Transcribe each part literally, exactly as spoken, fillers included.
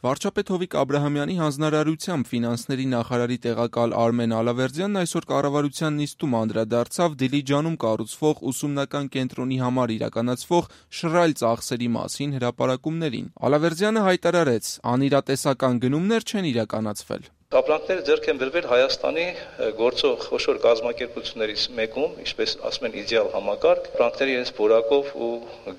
Վարչապետ Հովիկ Աբրահամյանի հանձնարարությամբ ֆինանսների նախարարի տեղակալ Արմեն Ալավերդյանն այսօր կառավարության նիստում անդրադարձավ Դիլիջանում կառուցվող ուսումնական կենտրոնի համար իրականացվող շռայլ ծախսերի մասին հրապարակումներին։ Ալավերդյանը հայտարարեց՝ անիրատեսական գնումներ չեն իրականացվել։ Ապրանքները ձեռք են բերվել Հայաստանի գործող խոշոր կազմակերպություններից մեկում, ինչպես ասում են, իդեալ համակարգ, ապրանքները իրենց որակով ու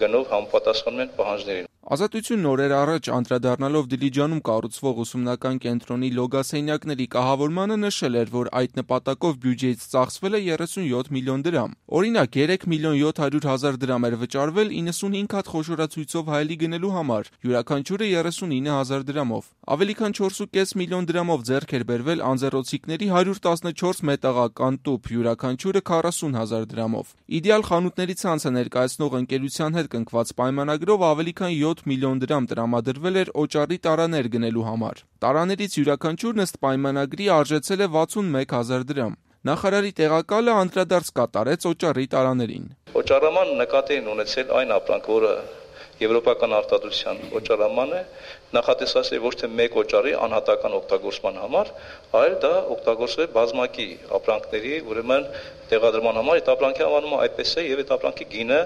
գնով համապատասխանում են պահանջներին։ Ազատությունն օրեր առաջ անդրադառնալով Դիլիջանում կառուցվող ուսումնական կենտրոնի լոգասենյակների կահավորմանը նշել էր, որ այդ նպատակով բյուջեից ծախսվել է երեսունյոթ միլիոն դրամ։ Օրինակ, երեք միլիոն յոթ հարյուր հազար դրամ էր վճարվել իննսունհինգ հատ խոշորացույցով հայելի գնելու համար, յուրաքանչյուրը երեսունինը հազար դրամով։ Ավելի քան չորս ու կես միլիոն դրամով ձեռք էր բերվել անձեռոցիկների հարյուր տասնչորս մետաղական տուփ, յուրաքանչյուրը քառասուն հազար դրամով։ Իդեալ խանութների ցանցը ներկայացնող ընկերության հետ կնքված պայմանագրով ավելի քան յոթ միլիոն դրամ տրամադրվել էր օճառի տարաներ գնելու համար։ Տարաներից յուրաքանչյուրն ըստ պայմանագրի արժեցել է վաթսունմեկ հազար դրամ։ Նախարարի տեղակալը անդրադարձ կատարեց օճառի տարաներին։ Օճառաման նկատի են ունեցել այն ապրանք, որը եվրոպական արտադրության օճառաման է, նախատեսված է ոչ թե մեկ օճառի անհատական օգտագործման համար, այլ դա օգտագործվել է բազմակի ապրանքների, ուրեմն տեղադրման համար, այդ ապրանքի անվանումը այդպես է եւ այդ ապրանքի գինը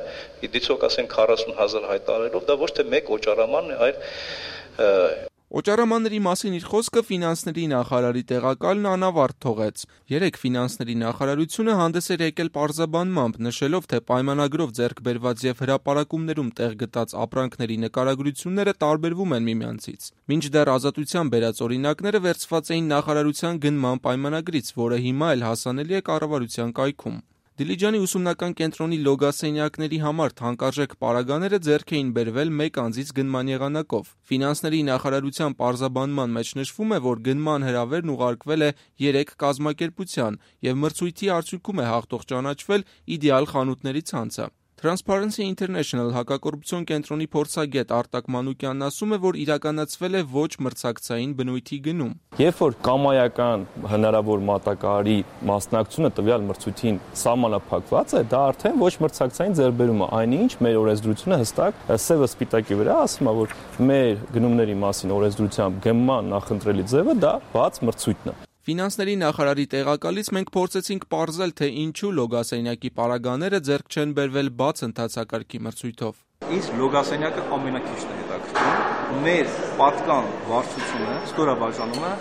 իդիցոք ասեն քառասուն հազար հայտարարելով, դա ոչ թե մեկ օճառաման է, այլ Օճառամանների մասին իր խոսքը ֆինանսների նախարարի տեղակալն անավարտ թողեց։ Երեկ ֆինանսների նախարարությունը հանդես էր եկել պարզաբանմամբ, նշելով, թե պայմանագրով ձեռք բերված եւ հրապարակումներում տեղ գտած ապրանքների նկարագրությունները տարբերվում են միմյանցից։ Մինչդեռ Ազատության բերած օրինակները վերցված էին նախարարության գնման պայմանագրից, որը հիմա էլ հասանելի է կառավարության կայքում։ Դիլիջանի ուսումնական կենտրոնի լոգասենյակների համար թանկարժեք պարագաները ձեռք էին բերվել մեկ անձից գնման եղանակով։ Ֆինանսների նախարարության պարզաբանման մեջ նշվում է, որ գնման հրավերն ուղարկվել է երեք կազմակերպության եւ մրցույթի արդյունքում է հաղթող ճանաչվել իդեալ խանութների ցանցը։ Transparency International հակակոռուպցիոն կենտրոնի փորձագետ Արտակ Մանուկյանն ասում է, որ իրականացվել է ոչ մրցակցային բնույթի գնում։ Երբ որ կամայական հնարավոր մատակարարի մասնակցությունը տվյալ մրցույթին սահմանափակված է, դա արդեն ոչ մրցակցային ձեռքբերում է, այնինչ մեր օրենսդրությունը հստակ սևը սպիտակի վրա ասում է, որ մեր գնումների մասին օրենսդրությամբ գնման նախընտրելի ձևը դա բաց մրցույթն է։ Ֆինանսների նախարարի տեղակալից մենք փորձեցինք պարզել, թե ինչու լոգասենյակի պարագաները ձեռք չեն բերվել բաց ընթացակարգի մրցույթով։ Ինձ լոգասենյակը ամենակիչն է հետաքրքրում։ Մեր պատկան վարչությունը, ստորաբաժանումը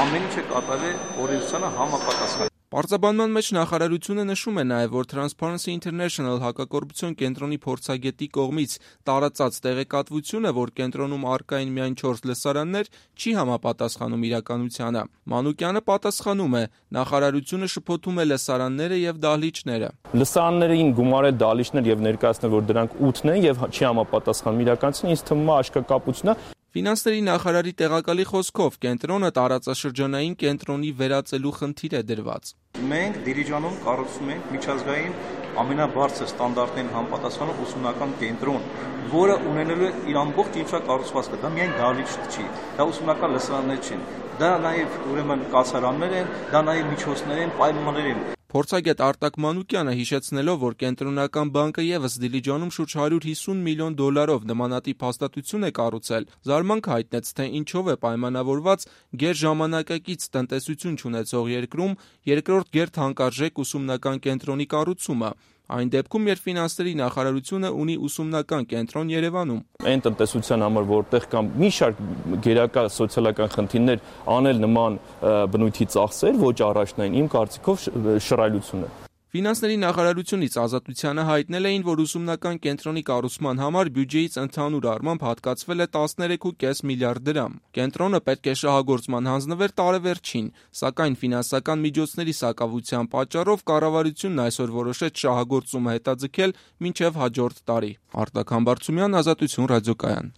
ամեն ինչ է կատարել օրենսդրությանը համապատասխան։ Պարզաբանման մեջ նախարարությունը նշում է նաև, որ Transparency International հակակոռուպցիոն կենտրոնի փորձագետի կողմից տարածած տեղեկատվությունը, որ կենտրոնում առկա են միայն չորս լսարաններ, չի համապատասխանում իրականությանը։ Մանուկյանը պատասխանում է, նախարարությունը շփոթում է լսարանները եւ դահլիճները։ Լսարաններին գումարել դահլիճներ եւ ներկայացնել, որ դրանք ութն են եւ չի համապատասխանում իրականությանը, ինձ թվում է աշկակապություն է։ Ֆինանսների նախարարի տեղակալի խոսքով կենտրոնը տարածաշրջանային կենտրոնի վերածելու խնդիր է դրված։ Մենք Դիլիջանում կառուցում ենք միջազգային ամենաբարձր ստանդարտներին համապատասխանող ուսումնական կենտրոն, որը ունենելու է իր ամբողջ ինֆրակառուցվածքը, դա միայն դահլիճ չի, դա ուսումնական լսարաններ չեն, դա նաև ուրեմն կացարաններ են, դա նաև միջոցներ են, պայմաններ են։ Փորձագետ Արտակ Մանուկյանը հիշեցնելով, որ կենտրոնական բանկը եւս Դիլիջանում շուրջ հարյուր հիսուն միլիոն դոլարով նմանատիպ հաստատություն է կառուցել, զարմանք հայտնեց, թե ինչով է պայմանավորված գերժամանակակից տնտեսություն չունեցող երկրում երկրորդ գերթանկարժեք ուսումնական կենտրոնի կառուցումը։ Այն դեպքում, երբ ֆինանսների նախարարությունը ունի ուսումնական կենտրոն Երևանում։ Այն տնտեսության համար, որտեղ կան մի շարք գերակա սոցիալական խնդիրներ, անել նման բնույթի ծախսեր ոչ առաջնային, իմ կարծիքով շռայլություն է։ Ֆինանսների նախարարությունից Ազատությանը հայտնել էին, որ ուսումնական կենտրոնի կառուցման համար բյուջեից ընդհանուր առմամբ հատկացվել է տասներեք ու կես միլիարդ դրամ։ Կենտրոնը պետք է շահագործման հանձնվեր տարեվերջին, սակայն ֆինանսական միջոցների սակավության պատճառով կառավարությունն այսօր որոշեց շահագործումը հետաձգել մինչև հաջորդ տարի։ Արտակ Համբարձումյան, Ազատություն ռադիոկայան։